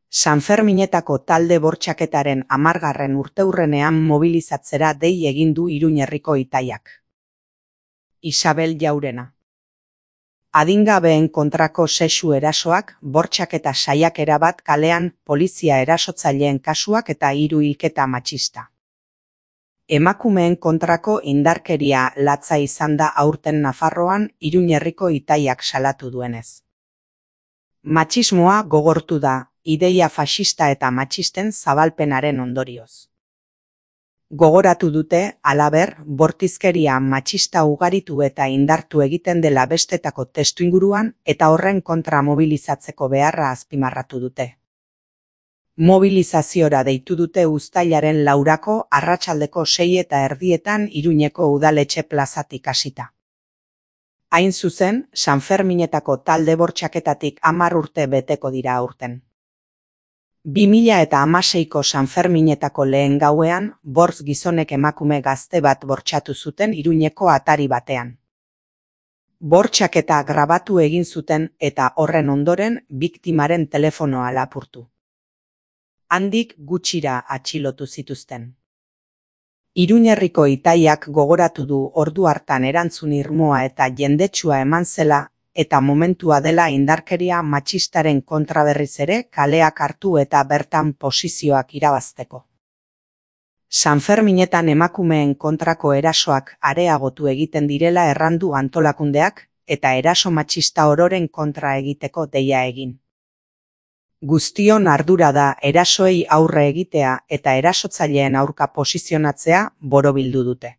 Sanferminetako talde bortxaketaren 10. urteurrenean mobilizatzera dei egin du Iruñe herriko Itaiak. Isabel Jaurena. Adingabeen kontrako sexu erasoak, bortxaketa saiakera bat kalean, polizia erasotzaileen kasuak eta 3 hilketa matxista. Emakumeen kontrako indarkeria latza izan da aurten Nafarroan, Iruñe herriko Itaiak salatu duenez. Matxismoa gogortu da, ideia faxista eta matxisten zabalpenaren ondorioz. Gogoratu dute, halaber, bortizkeria matxista ugaritu eta indartu egiten dela bestetako testuinguruan eta horren kontra mobilizatzeko beharra azpimarratu dute. Mobilizaziora deitu dute uztailaren 4 arratsaldeko 6:30 Iruñeko udaletxe plazatik hasita. Hain zuzen, Sanferminetako talde bortxaketatik 10 urte beteko dira aurten. 2016ko Sanferminetako lehen gauean, 5 gizonek emakume gazte bat bortxatu zuten Iruñeko atari batean. Bortxaketa grabatu egin zuten eta horren ondoren biktimaren telefonoa lapurtu. Handik gutxira atxilotu zituzten. Iruñe herriko Itaiak gogoratu du ordu hartan erantzun irmoa eta jendetsua eman zela eta momentua dela indarkeria matxistaren kontra berriz ere kaleak hartu eta bertan posizioak irabazteko. Sanferminetan emakumeen kontrako erasoak areagotu egiten direla errandu antolakundeak eta eraso matxista ororen kontra egiteko deia egin. Guztion ardura da erasoei aurre egitea eta erasotzaileen aurka posizionatzea borobildu dute.